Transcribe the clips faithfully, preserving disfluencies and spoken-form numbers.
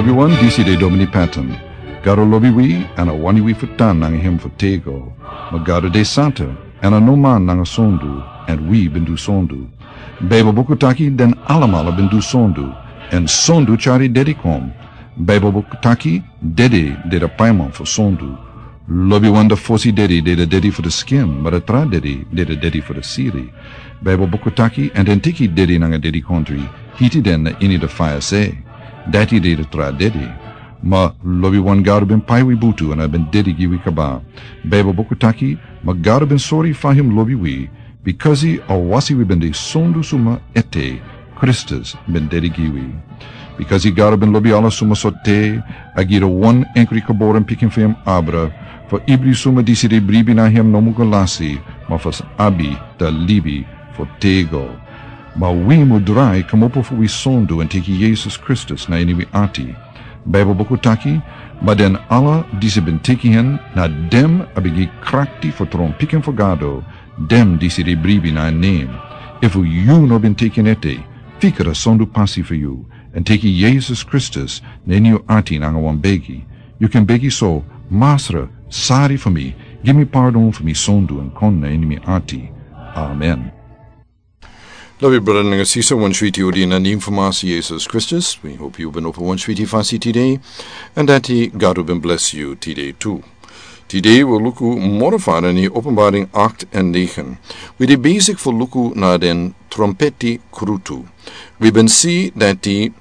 Wi wan disi de Domini Patton. Gado lobi wi, èn a wani wi fu tan nanga hem fu tego. Ma Gado de santa, èn a no man nanga sondu, èn wi ben du sondu. Baibel buku taki den alamala ben du sondu, èn sondu tyari dedi kon. Baibel buku taki dedi de da paiman fu sondu. Lobi wan da fosi dedi de da dedi fu da skin, ma da tra dedi de da dedi fu da siri. Baibel buku taki, èn den teki dedi nanga dedi kontri, hiti den na ini da faya se. Dati de da tra dedi. Ma lobi wan Gado ben pai wi butu èn a ben dedi gi wi kaba. Baibel buku taki, ma Gado ben sori fa hem lobi wi, bikasi a wasi wi ben de sondu suma ete, Kristus ben dedi gi wi. Bikasi Gado ben lobi ala suma so te, a gi da wan enkri kaboren pikin fu hem abra, fu ibri suma disi de bribi na hem no mu go lasi, ma fu abi da libi fu tego. Ma wi mu drai kmopo fu wi sondu èn teki Yesus Kristus na ini wi ati. Baibel buku taki, ma den ala disi ben teki hen, na dem a ben gi krakti fu tron pikin fu Gado, dem disi de bribi na en nen. Efu yu no ben teki en ete, fika da sondu pasi fu yu, èn teki Yesus Kristus na ini yu ati nanga wan begi. Yu ken begi so, Masra, sari fu mi, gi mi pardon fu mi sondu èn kon na ini mi ati. Amen. Lobi brada nanga sisa, wan switi odi na nen fu Masa Yesus Kristus. Wi hopi yu ben opo wan switi fasi tide, èn dati Gado ben blesi yu tide tu. Tide wi luku moro fara ini Openbaring acht en negen. Wi de besigi fu luku na den trompeti krutu. Wi ben si dati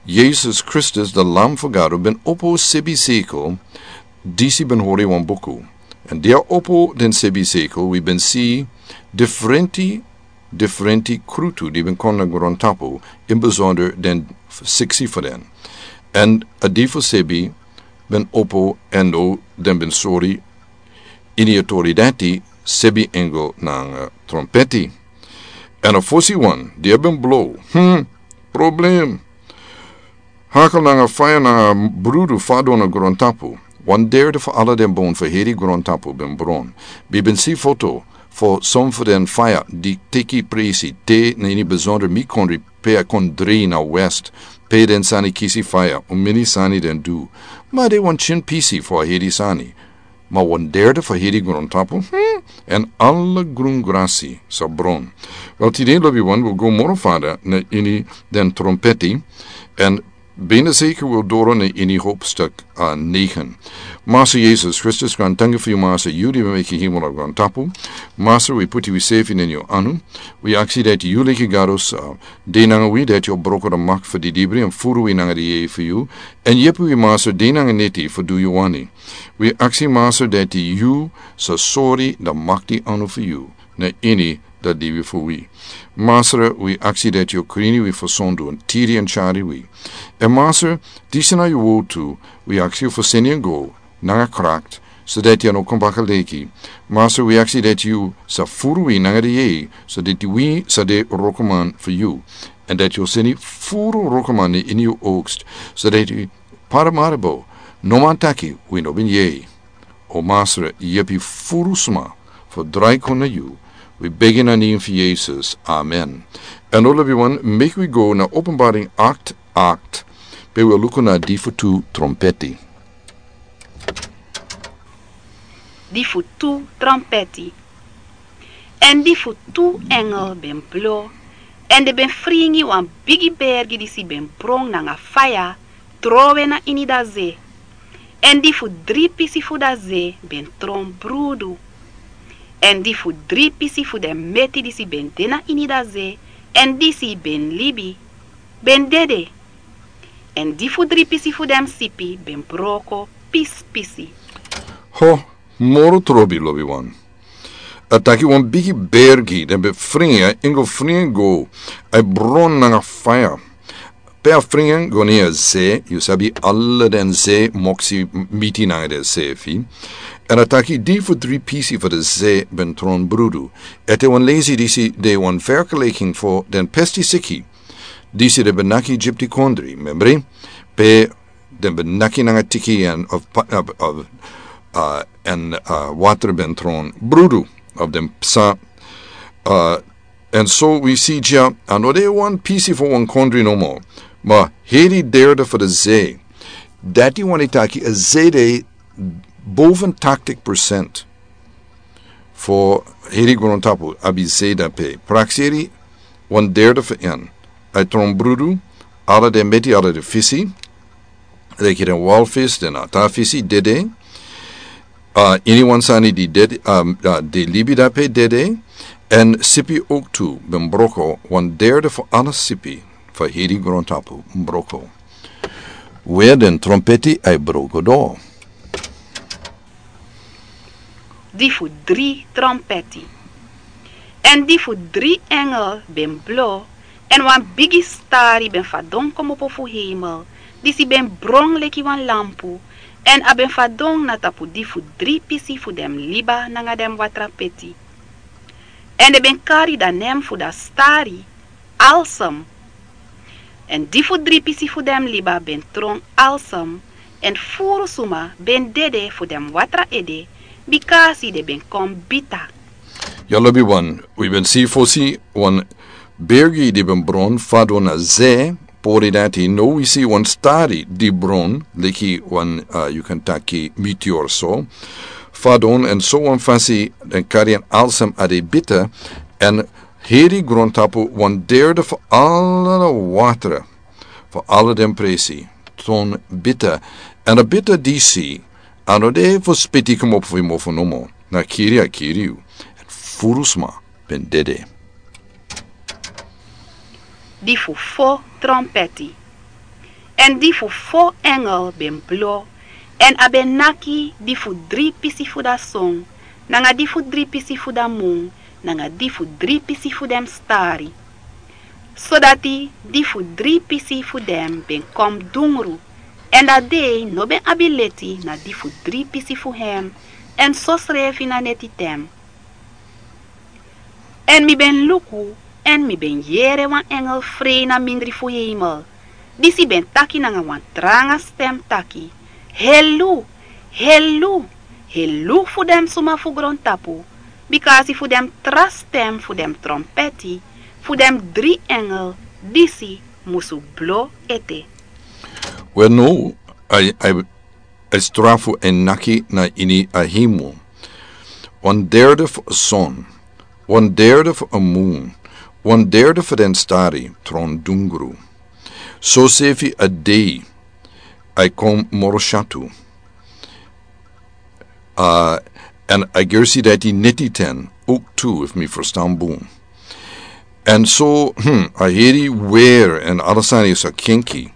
Yesus Kristus, da Lam fu Gado, ben opo sebi sekel, disi ben hori wan buku. Èn di a opo den sebi sekel, wi ben si diferenti, diferenti krutu di ben kon na grontapu, in besonder den siksi fu den. Èn a di fu sebi ben opo èn den ben sori ini a tori dati sebi engel nanga trompeti. Èn a fosi wan di a ben blo, hmm, problem. Hakel nanga faya nanga brudu fadon na grontapu. Wan derde fu ala den bon fu heri grontapu ben bron. Mi ben si foto fu son fu den faya di teki presi te na ini besonder mi kondre pe a kon drei na west. Pe den sani kisi faya, un mini sani den du. Ma de wan tyin pisi fu a heri sani. Ma wan derde fu heri grontapu, hmm, èn ala grun grasi sa bron. Wel, tide lobi wan wi go moro fara na ini den trompeti, èn bina seker wi doro na ini hopstuk, ah, negen. Masa Yesus Kristus, grantangi fu yu, Masa, yu di ben meki hemel nanga grontapu. Masa, wi puti wi sefi na ini yu anu. Wi aksi dati yu leki Gado sa de nanga wi, dati yu o broko da mak fu di dibri èn furu wi nanga di yeye fu yu. Èn yepi wi, Masa, de nanga neti fu du yu wani. Wi aksi, Masra, dati yu sa sori da makti anu fu yu na ini da libi fu wi. Masra, wi aksi dati yu o krini wi fu sondu èn tiri èn tyari wi. Èn Masra, disi na yu wowtu, wi aksi yu fu seni en go nanga krakti, so dati a no kon baka leki. Masra, wi aksi dati yu sa furu wi nanga di yeye, so dati wi sa de wrokman fu yu. Èn dati yu o seni furu wrokman na ini yu oogst, so dati Paramaribo no man taki wi no ben yei. O Masra, yepi furu sma fu drai kon na yu. Wi begi na nen fu Yesus. Amen. Èn now, lobiwan, meki wi go na Openbaring acht, acht, pe wi o luku na di fu tu trompeti. Di fu tu trompeti. Èn di fu tu engel ben blo, èn den ben fringi wan bigi bergi disi ben bron nanga faya trowe na ini da ze. Èn di fu dri pisi fu da ze ben tron brudu. Èn di fu dri pisi fu den meti disi ben de na ini da ze, èn disi ben libi, ben dede. Èn di fu dri pisi fu den sipi ben broko pisi pisi. Ho, moro trobi, lobiwan. A taki wan bigi bergi, den ben fringi, a ingo fringi go, a bron nanga faya. Pe a fringi go na a ze, yu sabi ala den ze moksi miti nanga den sefi. Èn a taki di fu dri pisi fu de ze ben tron brudu. Ete wan lesi disi de wan vergelijking fu den pesti siki. Disi den ben naki Egipti kondri, membri? Pe den ben naki nanga tiki èn of, of, of, uh, èn, uh, water ben tron brudu of den psa, uh, èn so wi si dya, a no de wan pisi fu wan kondri nomo, ma heri derde fu de ze. Dati wani taki a zede boven tachtig procent fu heri grontapu abi zede pe. Prakseri wan derde fu en. A tron brudu, ala den meti, ala den fisi, leki den walfis, den ata fisi dede. Uh, ini wan sani di dede, um, uh, di libi dape dede. En sipi oktu ben broko, wan derde fu ala sipi fu heri grontapu broko. We den trompeti ai broko do. Di fu dri trompeti. En di fu dri engel ben blo, en wan bigi stari ben fadon komopo fu heimel, disi ben bron leki wan lampu, en a ben fadon na tapu di fu dri pisi fu den liba nanga den watrapeti. En den ben kari dan nen fu dan stari, alsem. En di fu dri pisi fu den liba ben tron alsem, en furu suma ben dede fu den watra ede, bikasi den ben kon bita. Ya lobi wan, wi ben si fosi wan bergi di ben bron fadon na ze, pori dati, no wi si wan stari di bron, leki wan, uh, yu kan taki meteor so. Fadon en so wan fasi, den kari en alsem a de bita, en heri grontapu wan derde fu ala watra, fu ala den presi, ton bita, en a bita disi, a no de fu spiti komopo fu yu mofo nomo, na kiri a kiri yu, en furu sma ben dede. Di fu fo trompeti. En di fu fo engel ben blo, en a ben naki di fu dri pisi fu dan son, nanga di fu dri pisi fu dan mun, nanga di fu dri pisi fu den stari. Sodati di fu dri pisi fu den ben kon dungru, en dan dei no ben abi leti na di fu dri pisi fu hem, en sosrefi na neti ten. En mi ben luku, en mi ben yere wan engel frei na mindri fu heimel, disi ben taki nanga wan tranga stem taki: Helu, helu, helu fu den suma fu grontapu, bikasi fu den tra stem fu den trompeti fu den dri engel disi musu blo ete. We no, a, a, a strafu en naki na ini a heimel. Wan derde fu a son, wan derde fu a mun, wan derde fu den stari tron dungru. Sosefi a dei, a kon moro syatu. Uh, en a gersi dati neti ten, ook tu, if mi verstaan bun. En so, hmm, a heri wer en ala sani sa kinki.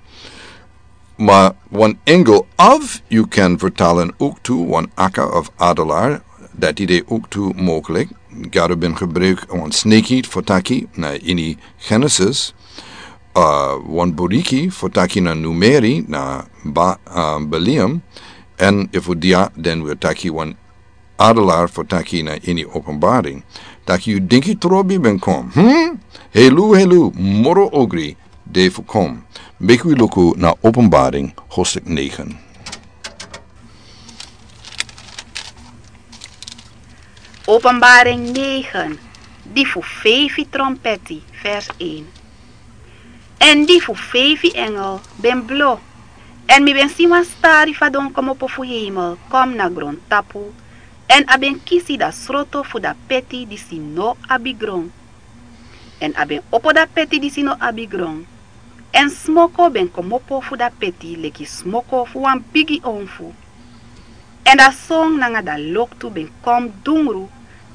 Ma wan engel of yu kan vertalen ook tu, wan akka of adelaar, dati de ook tu mogelijk. Gado ben gebruik wan sneki fu taki na ini Genesis, uh, wan boriki fu taki na Numeri, na ba, uh, Beliam, en efu dia den wil taki wan adelaar fu taki na ini Openbaring. Taki yu dinki trobi ben kon. Hmm? Helu, helu, moro ogri, de fu kon. Meki wi luku na Openbaring, hoofdstuk negen. Openbaring negen, di fu feifi trompeti, vers een. En di fu feifi engel ben blo, en mi ben si wan stari fadon komopo fu heimel, kom na grontapu, en a ben kisi dan sroto fu dan peti disi no abi gron. En a ben opo dan peti disi no abi gron. En smoko ben komopo fu dan peti leki smoko fu wan bigi onfu. En dan son nanga dan loktu ben kon dungru,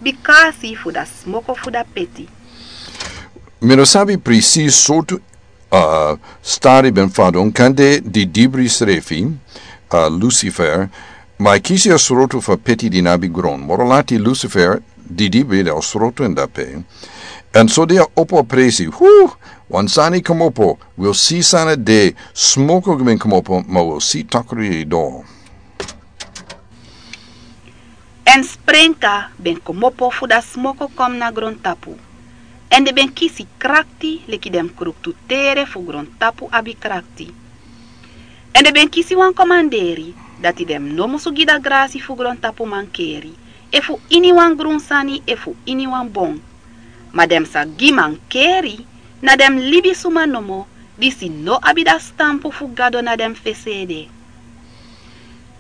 bikasi fu dan smoko fu dan peti. Mi no sabi presis sortu, uh, stari ben fadon, kande di dibri srefi, uh, Lucifer, ma a kisi a sroto fu a peti di no abi gron. Moro lati Lucifer, di dibri de a sroto en dape. En so di a opo a presi, hu, wan sani komopo, wil si san a de, smoko ben komopo, ma wil si takru e do. En sprenka ben komopo fu dan smoko kom na grontapu. En den ben kisi krakti leki den kruktu tere fu grontapu abi krakti. En den ben kisi wan komanderi, dati den no musu gi dan grasi fu grontapu mankeri, efu ini wan grun sani efu ini wan bon. Ma den sa gi mankeri na den libisuma nomo, disi no abi dan stampu fu Gado na den fesi ede.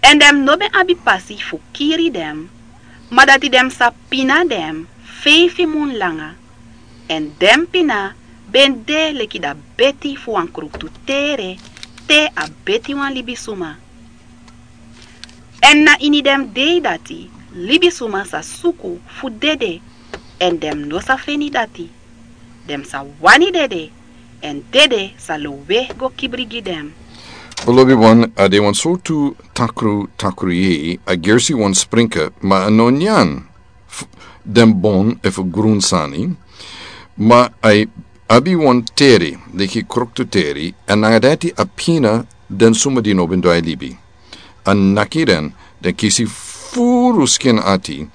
Èn den no ben abi pasi fu kiri den, ma dati den sa pina den feifi mun langa. Èn den pina ben de leki dati beti fu wan kruktu tere, te a beti wan libisuma. Èn na ini den dei dati libisuma sa suku fu dede, èn den no sa feni dati. Den sa wani dede, èn dede sa lowe go kibri gi den. Beloved one, a de wan sortu takru, takru yei, a gersi wan sprinka, ma a no nyan f-, den bon efu grun sani, ma a abi wan tere, leki kruktu tere, èn nanga dati a pina den suma di no ben drai libi. A naki den, den kisi furu skin ati,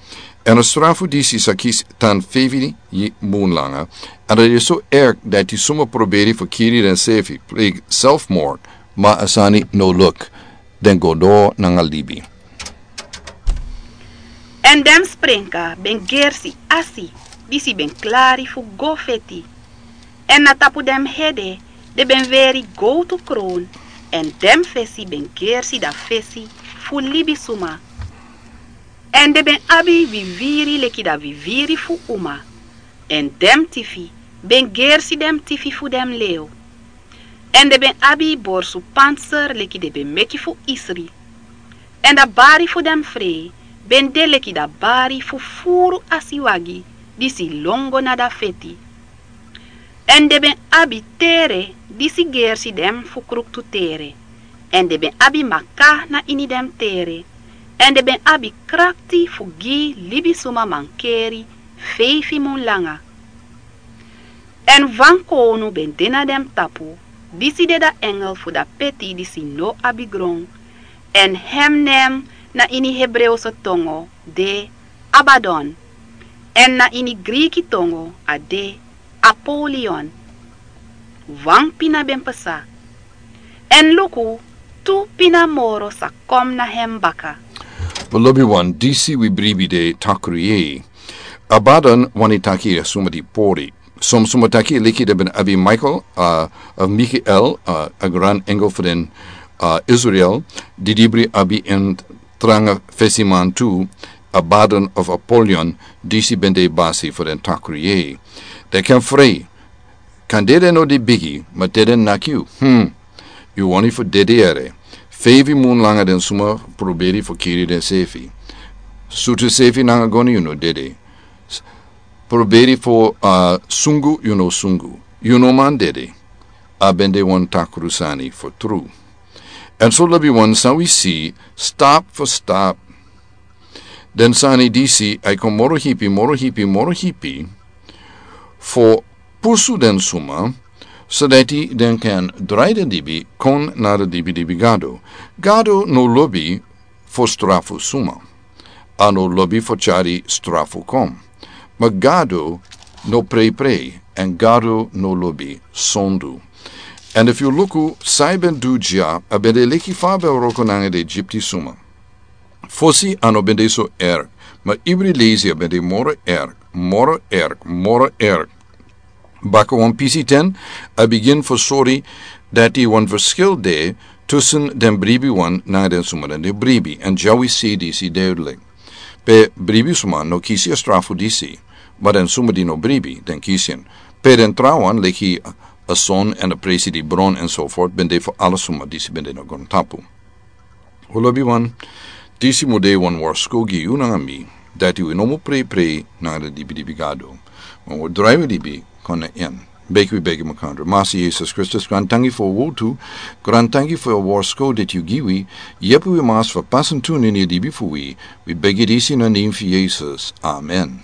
èn a strafu disi sa kisi tan feifi mun langa, èn a de so erg dati suma proberi fu kiri den sefi, pleeg selfmoord, ma a sani no luk, den go doro nanga libi. Èn den sprinka ben gersi asi, disi ben klari fu go feti. Èn na tapu den hede den ben weri gowtu kron, èn den fesi ben gersi dati fesi fu libisuma. Èn den ben abi wiwiri leki dati wiwiri fu uma, èn den tifi ben gersi den tifi fu den lew. Èn den ben abi borsu panser leki den ben meki fu isri. Èn dati bari fu den frei ben de leki dati bari fu furu asiwagi disi lon go na dati feti. Èn den ben abi tere disi gersi den fu kruktu tere. Èn den ben abi maka na ini den tere. Èn den ben abi krakti fu gi libisuma mankeri feifi mun langa. Èn wan kownu ben de na den tapu, disi de dati engel fu dati peti disi no abi gron. Èn hem nen na ini Hebreose tongo de Abadon. Èn na ini Griki tongo a de Apolion. Wan pina ben pasa. Èn luku, tu pina moro sa kon na hem baka. Beloved one, disi wi bribi de takru yei. Abadon wani taki a suma di pori. Son suma taki leki den ben abi Michael, uh, of Michael, uh, a gran engel fu den, uh, Israel, di dibri abi en tranga fesiman tu, Abadon of Apolion, disi ben de basi fu den takru yei. Den kan frei, kan dede no de bigi, ma dede naki yu. Hmm. Yu wani fu dede ere. Feifi mun langa den suma proberi fu kiri den sefi. Sutu sefi nanga goni yu no dede. S-, proberi fu, uh, sungu yu no sungu. Yu no man dede. A ben de wan takru sani fu tru. Èn so lobi wan san wi si, stap fu stap. Den sani disi a e kon moro hipi, moro hipi, moro hipi, fu pusu den suma, so dati den kan drai den libi kon na den libi libi Gado. Gado no lobi fu strafu suma. A no lobi fu tyari strafu kon. Ma Gado no preiprei, èn Gado no lobi sondu. Èn efu yu luku san a ben du dya, a ben de leki fa a ben wroko nanga den Egipti suma. Fosi a no ben de so erg, ma ibri leisi a ben de moro erg, moro erg, moro erg. Baka wan pisi ten, a bigin fu sori dati wan verschil de tussen den bribi wan nanga den suma den no bribi, èn dya wi si disi duidelijk. Pe bribi suma no kisi a strafu disi, ma den suma di no bribi, den kisi en. Pe den trawan, leki a son èn a presi di bron enzovoort, ben de fu ala suma disi ben de na grontapu. O lobiwan, disi mu de wan warskow gi yu nanga mi, dati wi no mu preiprei nanga den dibidibi gado. Ma wi drai wi libi kon na en. Begi wi begi makandra. Masi Yesus Kristus, grantangi fu a wortu, grantangi fu a warskow dati yu gi wi, yepi wi mas fu pasa tu na ini a libi fu wi, wi begi disi na nen fu Yesus. Amen.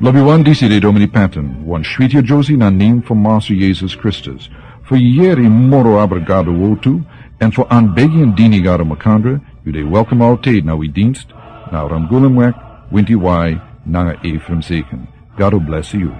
Lobiwan, disi de Domini Patton, wan switi a Josie na nen fu Masi Yesus Kristus. Fu yeri moro abra Gado wortu, èn fu anbegi en dini Gado makandra, yu de welkom altijd na wi dienst, na Ramgulumweg, winti wai, nanga Ephraim Zeken. Gado blesi yu.